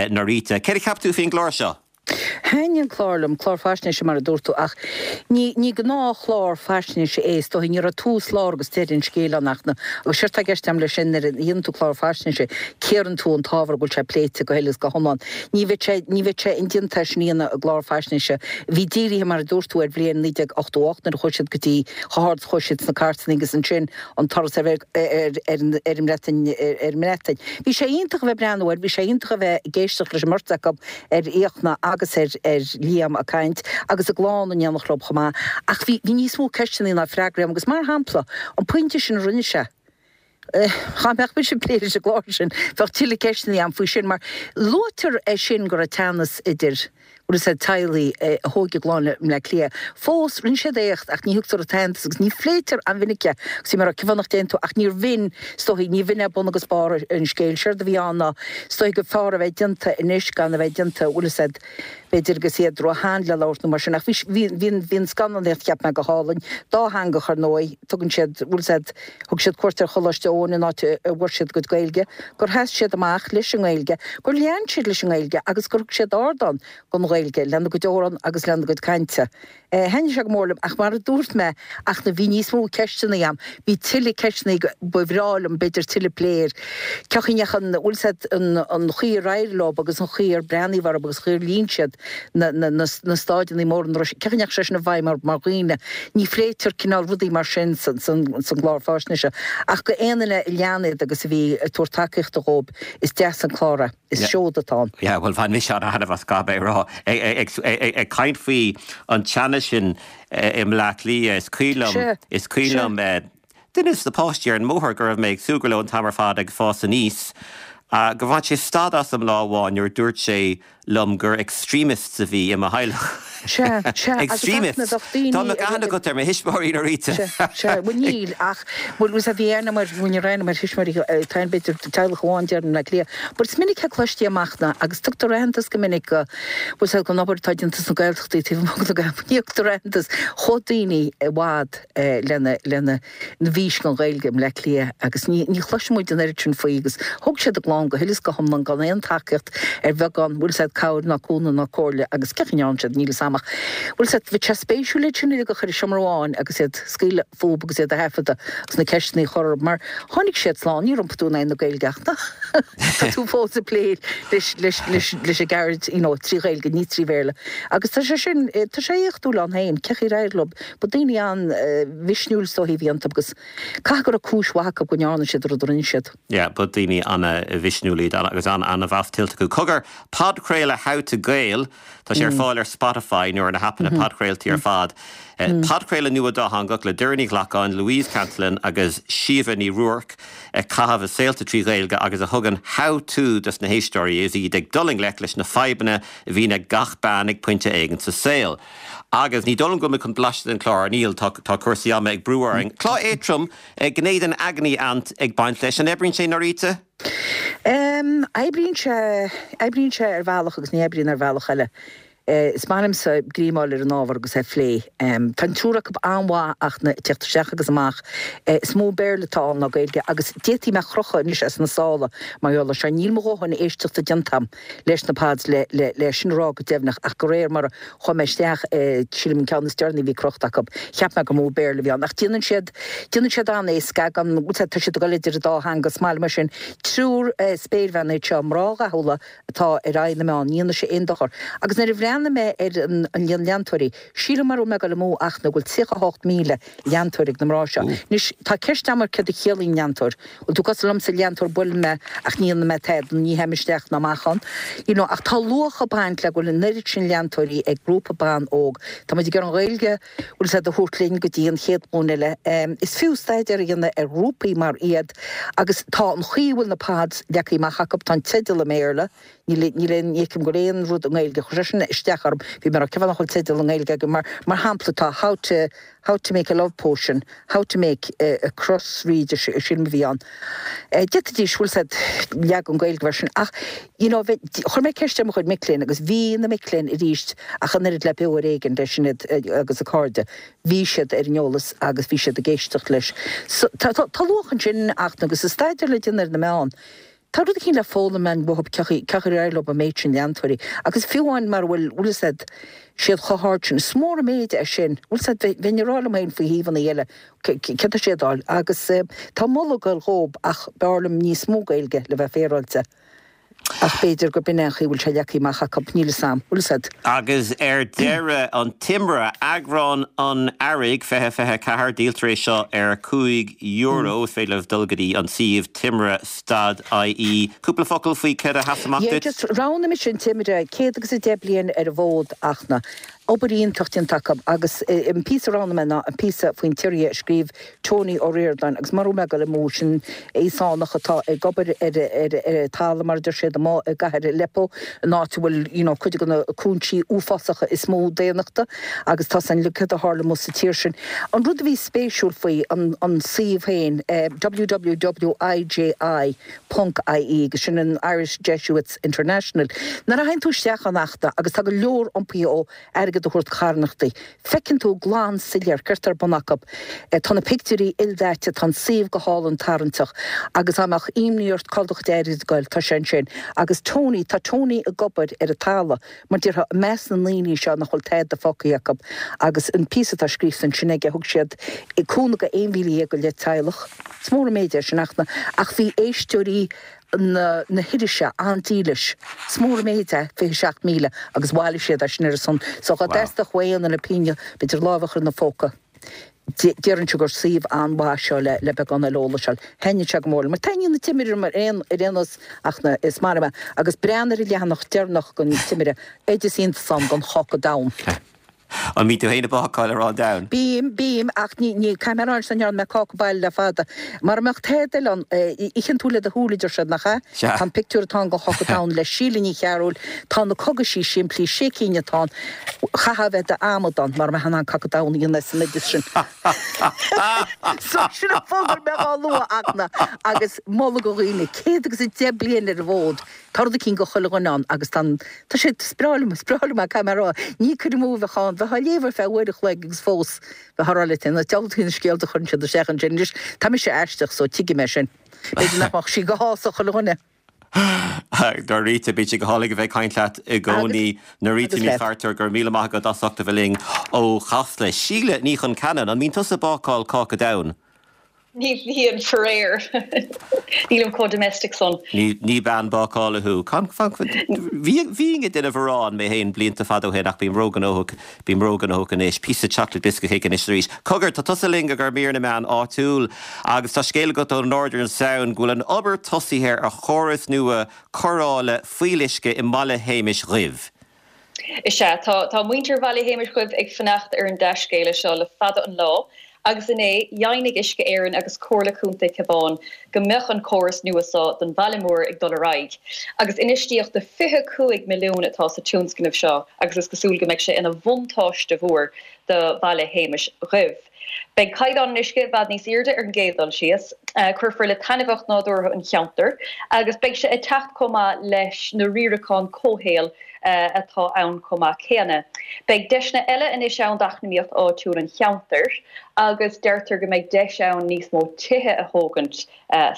Norita. Céard a cheap tú faoin gclár seo? Thaitnigh an clár liom, clár faisnéise mar a dúirt tú, ach ní, ní gnáthchlár faisnéise é, is dóigh. Ní raibh tús, lár agus deireadh an scéil ann ach na, agus séard atá i gceist agam leis sin, nuair a dhéanann tú clár faisnéise, cíorann tú an t-ábhar go bhfuil sé pléite go huile is go hiomlán. Ní bheadh sé, ní bheadh sé indéanta é sin a dhéanamh i gclár faisnéise. Bhí dírithe, mar a dúirt tú, ar bhliain 1988 nuair a chuaigh siad go dtí, chomh hard is a chuaigh siad sna cairteanna agus ansin an turas ar, ar, ar an, ar an mBreatain, ar an mBreatain. Bhí sé iontach a bheith ag breathnú air, bhí sé iontach a bheith ag éisteacht leis an mbeirt acu, ar Fhiachna agus ar ar Liam ag caint, agus a gclann in éineacht leo chomh maith. Ach bhí bhí níos mó ceisteanna ná freagraí agam agus mar shampla, an pointe sin a rinne sé, dá mbeadh mise ag plé leis an gclár sin, bheadh tuilleadh ceisteanna agam faoi sin mar luaitear é sin go raibh teannas idir. Bhfuil fhios a'd, teaghlaigh a thóg a gclann i mBleá Cliath. Fós, rinne siad éacht ach ní thugtar an t-aitheantas agus ní phléitear an-mhinic é agus bhí mé ag rá cén fáth nach dtéann tú ach níor bh'in, is dóichí, ní bh'in é bun agus barr an scéil. Séard a bhí ann ná, is dóichí gur fearr a bheith déanta anois gan a bheith déanta, bhfuil fhios a'd, b'fhéidir agus iad róshean le labhairt nó mar sin ach bhí, bhí, bhí an, bhí an scannánaíocht cheap mé go hálainn. Dátheangach ar ndóigh, tugann siad, bhfuil fhios a'd, Thug siad cuairt ar Choláiste Eoin, an áit a bhfuair siad a gcuid Gaeilge, gur sheas siad amach leis an nGaeilge, gur lean siad leis an nGaeilge agus gur thug siad ardán don Ghaeilge lena gcuid amhrán agus lena gcuid cainte. Thaitnigh sé go mór liom ach mar a dúirt mé ach na bhí níos mó ceisteanna agam, bhí tuilleadh ceisteanna ba bhreá liom b'fhéidir tuilleadh plé air. Cén chaoi a ndeachaigh an, bhfuil fhios a'd, an chaoi ar éirigh leo agus an chaoi ar breathnaíodh orthu agus an chaoi ar líon siad na, na, na, na staideanna móra, an raibh sé, cén chaoi a ndeachaigh sé sin i bhfeidhm orthu mar dhaoine. Ní phléitear cineál rudaí mar sin san, san, san gclár fáisnéise. Ach go aon duine a lean iad agus a bhí ag tabhairt tacaíochta dhóib, is deas an clár é. Is seoid atá ann. Yeah, bhuel, bhain mise an-thaitneamh as, caithfidh mé a rá. Ag, ag, ag, ag caint faoi an teannas sin i mBleá Cliath, is cuimhin liom, is cuimhin liom, eh, Duine de na páistí ar an mbóthar go raibh mé ag súgradh leo an t-am ar fad ag fás aníos, gur bhain sé stad asam lá amháin nuair a dúirt sé liom gur extremists a bhí i mo theaghlach. Sea, sea, agus Extremists! ach na bheadh daoine Dá mbeadh aithne agat ar mo thuismitheoirí, Norita! Sea, sea, bhuel níl, ach, bhuel, bhuel, bhí aithne agam ar, bhuel ní raibh aithne agam ar thuismitheoirí, tá aithne b'fhéidir teaghlach amháin déarfainn i mBleá Cliath, but is minic a cloistí amach ná, agus tugtar aitheantas go minic go, bhuel, sea, don obair atá déanta sna Gaeltachtaí taobh amuigh de na Gaeltachtaí, ní thugtar aitheantas chomh daoine i bhfad. lena lena bhfís don Ghaeilge i mBleá Cliath agus ní ní chloiseann muid an oiread sin faoi agus thóg siad a gclann go huile is go hiomlán gan aon tacaíocht ar bheagán bhfuil 'fhios a'd cabhair ná cúnamh ná comhairle agus cén chaoi a ndearna siad níl 'fhios a'm ach bhfuil 'fhios a'd bheadh sé spéisiúil iad sin uilig a chur i seomra amháin agus iad scaoileadh fúb agus iad a thaifeadadh agus na ceisteanna a chur orthu mar tháinig siad slán níor iompaigh tú in aghaidh na Gaeilge ach tá tú fós ag plé leis leis leis leis an gceird you know trí Ghaeilge ní trí Bhéarla agus tá sé sin tá sé éachtúil ann féin cén chaoi ar éirigh leo Ba daoine an-mhisniúil is dóichí a bhí iontu agus caithfidh go raibh cúis mhaith acu go ndearna siad an rud a rinne siad. Yeah, ba daoine an-mhisniúil iad agus an-mheas tuillte acu. Cogar, podchraoladh How to Gael, tá sé ar fáil ar Spotify nó ar na haipeanna podchraoltaí ar fad. Podchraoladh nua dátheangach le Doireann Ní Ghlacáin, Louise Cantillon agus Síomha Ní Ruairc ag caitheamh a saolta trí Ghaeilge agus a thugann how to dos na héisteoirí is iad ag dul i ngleic leis na fadhbanna a bhíonn ag gach bean ag pointe éigin sa saol. Agus ní dóigh liom go bhfuil muid chun blaiseadh den chlár, níl, tá tá cúrsaí ama ag brú orainn. Clár éadtrom, gné den agony aunt ag baint leis. An oibríonn sé, Norita? Em, oibríonn sé, oibríonn sé ar bhealach agus ní oibríonn ar bhealach eile. Is maith liomsa greamáil ar an ábhar agus é a phlé. Em, tá an triúr acu an-mhaith ach na, teacht isteach agus amach. Is mó Béarla atá ann ná Gaeilge agus d'fhéadfaí mé a chrochadh anois as na sála mar gheall air seo. Níl mo dhóthain éisteachta déanta agam. leis na pods le le le sin a rá go deimhneach ach de réir mar a chuaigh mé isteach i sílim an ceann is deireanaí a bhí crochta acu cheap mé gur mó Béarla a bhí ann ach déanann siad déanann siad an-éasca gan bhfuil tá siad ag dul idir an dá theanga is maith liom é sin triúr spéirbhean iad seo mná dhathúla atá ar aghaidh na meán ní dhéanfaidh sé aon dochar agus nuair a bhreathnaigh mé ar an an líon leantóirí sílim mara bhfuil mé ag dul amú ach nó go bhfuil 38,000 leantóir ag na mná seo. Anois, tá ceist agam ar céard a chiallaíonn leantóir. Bhfuil tú cosúil liomsa, leantóir, buaileann mé ach ní dhéanann mé tada, ní théim isteach ná amach ann. You know, ach tá luach ag baint le go bhfuil an oiread sin leantóirí ag grúpa ban óg. Tá muid ag iarraidh an Ghaeilge, bhfuil 'fhios a'd, a thabhairt linn go dtí an chéad ghlúin eile. Is fiú staidéar a dhéanamh ar ghrúpaí mar iad agus tá an chaoi a bhfuil na pods leagtha amach acu, tá an teideal i mBéarla, Níl, níl aon, ní fheicim go bhfuil aon rud i nGaeilge. Chuir sé sin isteach orm. Bhí mé ag rá, cén fáth nach bhfuil teideal i nGaeilge againn? Mar, mar shampla, tá How to, How to make a love potion, How to make a, a crossreed, sílim a bhí ann. D'fhéadfaidís, bhfuil 'fhios a'd, leagan Gaeilge air sin. Ach, you know, bheith, chuir mé ceist ar mo chuid mic léinn agus bhí na mic léinn arís ach an oiread le Beo Ar Éigean le Sinéad agus a cairde, bhí siad ar an eolas agus bhí siad ag éisteacht leis. So, tá, tá, tá luach ansin ach, agus is staidéar le déanamh ar na meáin. Tá rud eicínt le foghlaim ann uathub, cén chaoi ar éirigh leo an méid sin leantóirí, agus fiú amháin mara bhfuil, bhfuil 'fhios a'd, siad chomh hard sin, is mór an méid é sin, bhfuil 'fhios a'd, bheinn ag rá liom féin faoi shuíomhanna eile, céard tá siad a fháil, agus tá moladh ag goil dhób ach b'fhearr liom níos mó Gaeilge le bheith féaráilte, ach b'fhéidir gurb in é an chaoi a bhfuil sé leagtha amach acu, níl 'fhios a'm, bhfuil 'fhios a'd. Agus ar deireadh, an Timire, eagrán an Earraigh 2024, díoltar é seo ar €5. Is féidir libh dul go dtí an suíomh timire stad ie. Cúpla focal faoi céard a sheas amach Yeah, duit? just roghnaigh mise an Timire, 110 bliain ar an bhfód ach na. Obair iontach déanta acu agus an píosa a roghnaigh mé ná an píosa faoin tSiria a scríobh Tony Ó Ríordáin agus mura bhfuil mé ag dul amú, sin Íosánach atá ag obair ar ar talamh mar a deir siad amuigh i gcathair Aleppo, an áit a bhfuil you know cuid de na cúinsí uafásacha is mó daonnachta agus tá san céard a tharla amuigh sa tír sin. An rud a bhí spéisiúil faoi an an suíomh féin, www.iji. ponc ie agus sin an Irish Jesuits International. Nuair a théann tú isteach ann Fhachtna agus tá go leor iompaithe ó airgead a thabhairt do charthanachtaí, feiceann tú glan soiléir céard tá ar bun acu. Tá na pictiúirí ildaite, tá an suíomh go hálainn tarraingteach agus dá mbeadh imní ort cá bhfuil do chuid airgid ag goil, tá sé ansin. Agus Tony, tá Tony ag obair ar an talamh. Mar déarfá, i measc na ndaoine seo nach bhfuil tada fágtha acu, agus an píosa atá scríofa ansin aige, thug siad cúnamh go 11,000 go leith teaghlach. Is mór an méid é sin, Fhachtna, ach bhí éisteoirí na na hirise an-dílis. Is mór an méid é 27,000 agus bhailigh siad é sin ar a son. So dá dteastódh ó aon duine pingin, b'fhéidir lámh a chur ina phóca. Déarfainnse gur suíomh an-mhaith seo le le beagán eile eolais a fháil. Thaitnigh sé go mór liom. Mar taitníonn an Timire liom ar aon ar aon nós ach na is maith liom é. Agus breathnaigh ar an leathanach deireanach den Timire, oideas iontach ann don cháca donn. An mbíonn tú féin ag bácáil arán donn? Bím, bím, ach ní, ní, caithfidh mé a rá anois nach ndearna mé cáca baile le fada. Mara mbeadh tada eile ann, itheann tú le do shúile, a deir siad, nach ea? Sea. Tá an pictiúr atá ann den cháca donn le Síle Ní Chearúil, tá na cogaisí simplí, sé cinn atá ann. Chaithfeá a bheith i d'amadán mara mbeifeá in ann cáca donn a dhéanamh as an oideas sin. So sin an fáth go raibh mé á lua, a Fhachtna, agus moladh do dhaoine, 110 bliain ar an bhfód, tá rud eicínt do chuile dhuine ann agus tá an, tá sé, is breá liom, is breá liom é, caithfidh mé a rá. Ní cur amú a bheadh ann, bheifeá á léamh ar feadh uair a chloig agus fós bheifeá ag rá leat féin, na diabhaltaí na scéalta a chuireann siad isteach ansin. Anois, tá mise aisteach so tuigfidh mé sin. B'fhéidir nach mbeadh sí go shásamh chuile dhuine. Norita, bíonn sé go hálainn a bheith ag caint leat i gcónaí. Norita Ní Chartúir, go raibh míle maith agat as ucht a bheith linn ó Chasla. Síle Ní Chonceanainn, an mbíonn tusa ag bácáil cáca donn? Ní bhíonn, faraor. Nílim chomh domestic san. Ní bean bácála thú. Bhínn ag déanamh aráin mé féin blianta fada ó shin ach bím róghnóthach, bím róghnóthach anois. Píosa chocolate biscuit cake anois arís. Cogar, tá tusa linn i gcomhair mír na meán áitiúil agus tá scéal agat ó Northern Sound go bhfuil an obair tosaithe ar chóras nua cóireála fuíolluisce i mBaile Shéamais Dhuibh. Is ea, tá, tá muintir Bhaile Shéamais Dhuibh ag fanacht ar an dea-scéala seo le fada an lá agus inné, dheimhnigh Uisce Éireann agus Comhairle Contae Cabhán go mbeadh an córas nua seo don bhaile mór ag dul ar aghaidh. Agus infheistíocht de 25 milliún atá sa tionscnamh seo agus is cosúil go mbeidh sé ina bhuntáiste mhór do Bhaile Shéamais Dhuibh. Beidh caighdeán an uisce i bhfad níos airde ar an gcéad dul síos, cuirfear le taitneamhacht nádúrtha an cheantair agus beidh sé ag teacht chomh maith leis na riaracháin comhshaoil atá ann chomh maith céanna. Beidh deiseanna eile anois ann d'eacnamaíocht áitiúil an cheantair agus deirtear go mbeidh deis ann níos mó tithe a thógaint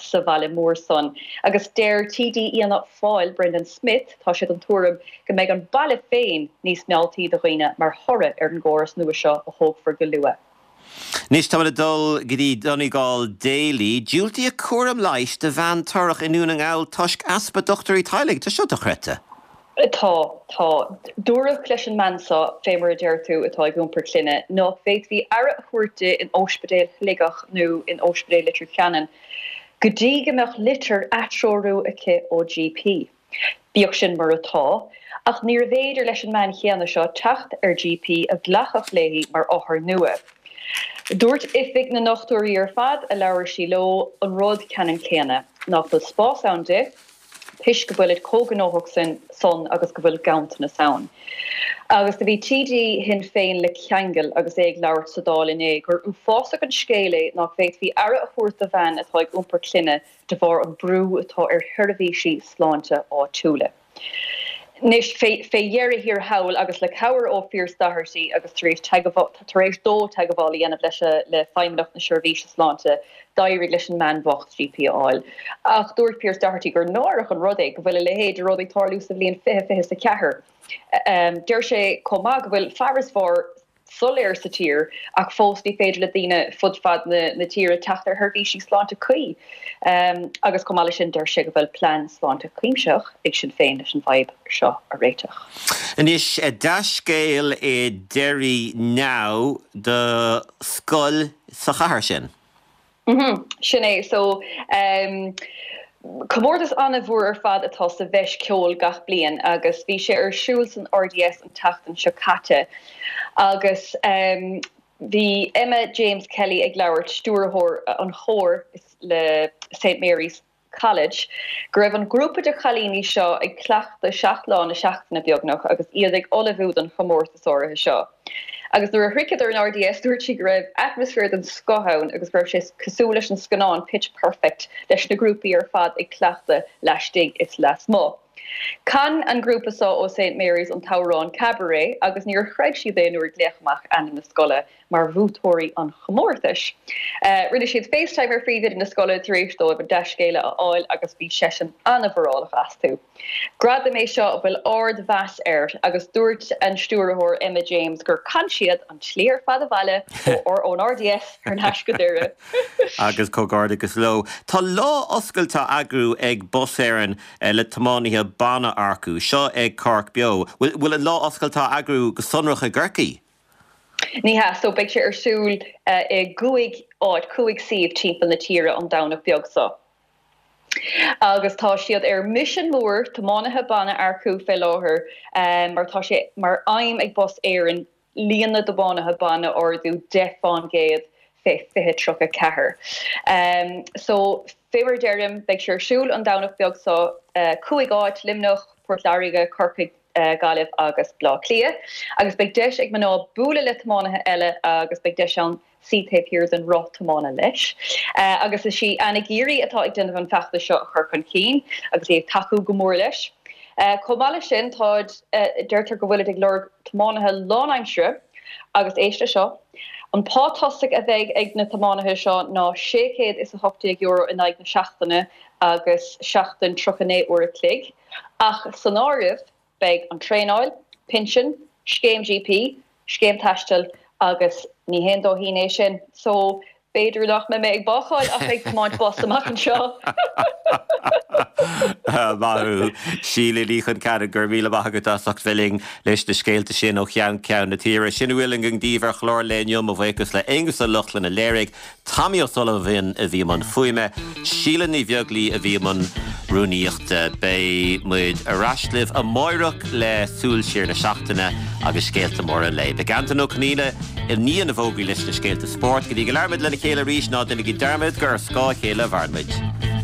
sa bhaile mór san. Agus deir TD Fhianna Fáil, Brendan Smith, tá sé den tuairim go mbeidh an baile féin níos mealltaí do dhaoine mar thoradh ar an gcóras nua seo a thógfar go luath. Anois táimid ag dul go dtí Donegal Daily. Diúltaíodh cúram leighis do bhean torrach i nDún na nGall toisc easpa dochtúirí teaghlaigh. Tá seo dochreidte. Tá, tá. Dúradh leis an mbean seo, fé mar a deir tú, atá ag iompar clainne, nách bhféadfaí aire a thabhairt di in Óispidéal Shligeach nó in Óispidéal Leitir Ceanainn go dtí go mbeadh litir atreorú aici ó GP. Bíodh sin mar atá, ach níorbh fhéidir leis an mbean chéanna seo teacht ar GP a ghlacfadh léi mar othar nua. Dúirt oifig na ndochtúirí ar fad a labhair sí leo an rud ceannann céanna, nach bhfuil spás ann di, toisc go bhfuilid chomh gnóthach san agus go bhfuil ganntanas ann. Agus do bhí TD Shinn Féin le ceangal agus é ag labhairt sa Dáil inné gur uafásach an scéal é nach bhféadfaí aire a thabhairt do bhean atá ag iompar clainne de bharr an brú atá ar sheirbhísí sláinte áitiúla. Anois, fé dheireadh thiar thall, agus le cabhair ó Phearse Doherty agus tar éis tar éis dó teagmháil a dhéanamh leis le Feidhmeannacht na Seirbhíse Sláinte, d'éirigh leis an mbean bhocht GP a fháil. Ach dúirt Pearse Doherty gur náireach an rud é go bhfuil a leithéid de rud ag tarlú sa bhliain 2024. Deir sé chomh maith go bhfuil farasbarr soiléir sa tír ach fós ní féidir le daoine fud fad na tíre teacht ar sheirbhísí sláinte cuí. Agus chomh maith leis sin deir sé go bhfuil plean sláinte cuimsitheach ag Sinn Féin leis an bhfadhb seo a réiteach. Anois, dea-scéal i Derry Now do scoil sa chathair sin. Mhm, sin é. So, ehm. Comórtas an-mhór ar fad atá sa bhFeis Ceoil gach bliain agus bhí sé ar siúl san RDS an tseachtain seo caite agus bhí Emma James Kelly ag labhairt, stiúrthóir an chóir le St Mary's College, go raibh an grúpa de chailíní seo ag cleachtadh 7 lá na seachtaine beagnach agus iad ag ullmhú don chomórtas áirithe seo. Agus nuair a shroicheadar an RDS dúirt sí go raibh atmaisféar den scoth ann agus go raibh sé cosúil leis an scannán Pitch Perfect leis na grúpaí ar fad ag cleachtadh laistigh is lasmuigh. Chan an grúpa seo ó St Mary's an t-amhrán Cabaret agus níor chreid siad é nuair a glaodh amach ainm na scoile mar bhuaiteoirí an chomórtais. Rinne siad FaceTime ar phríomhoide na scoile tar éis dóibh an dea-scéala a fháil agus bhí seisean an-mhórálach astu. Gradam é seo a bhfuil ard-mheas air agus dúirt an stiúrthóir Emma James gur chan siad an tslí ar fad abhaile ón RDS thar n-ais go Doire. Agus comhghairdeachas leo. Tá lá oscailte á eagrú ag Bus Éireann le tiománaithe ban a earcú. Seo ag Cork Beo. Bhfuil an lá oscailte á eagrú go sonrach i gCorcaigh? Ní hea, so beidh sé ar siúl i gcúig áit, cúig suíomh timpeall na tíre an Domhnach beag seo. Agus tá siad ar misean mór tiománaithe ban a earcú fé láthair mar tá sé mar aidhm ag Bus Éireann líon na dtiománaithe ban a ardú 10 fán gcéad fé 2034. So fé mar a deirim, beidh sé ar siúl an Domhnach beag seo, cúig áit, Luimneach, Port Láirge, Corcaigh, Gaillimh agus Bleá Cliath, agus beidh deis ag mná bualadh le tiománaithe eile agus beidh deis ann suí taobh thiar den roth tiomána leis. Agus is í Anna Geary atá ag déanamh an feachtas seo a chur chun cinn agus í ag tacú go mór leis. Chomh maith leis sin, táid, deirtear go bhfuilid ag lorg tiománaithe lánaimsire agus éist leis seo, an pá tosaigh a bheidh ag na tiománaithe seo ná €618 in aghaidh na seachtaine agus seachtain 39 uair a chloig. Ach san áireamh beidh an traenáil, pinsean, scéim GP, scéim taistil agus ní haon dóithín é sin. So b'fhéidir nach mbeidh mé ag bácáil ach ag tiomáint bus amach anseo! Maith thú, Síle Ní Chonceanainn, go raibh míle maith agat as ucht bheith linn leis na scéalta sin ó cheann ceann na tíre. Sin a bhfuil againn daoibh ar chlár an lae inniu, mo bhuíochas le Aonghus Ó Lochlainn a léirigh. Tommy O'Sullivan a bhí i mbun fuaime, Síle Ní Bheaglaoi a bhí i mbun rúnaíochta. Beidh muid ar ais libh amáireach le súil siar na seachtaine agus scéalta móra an lae. Beidh Antain Ó Conghaile i ndiaidh na bhfógraí leis na scéalta spóirt. Go dtí go labhraímid lena chéile arís, ná déanaigí dearmad gur ar scáth a chéile a mhaireann muid.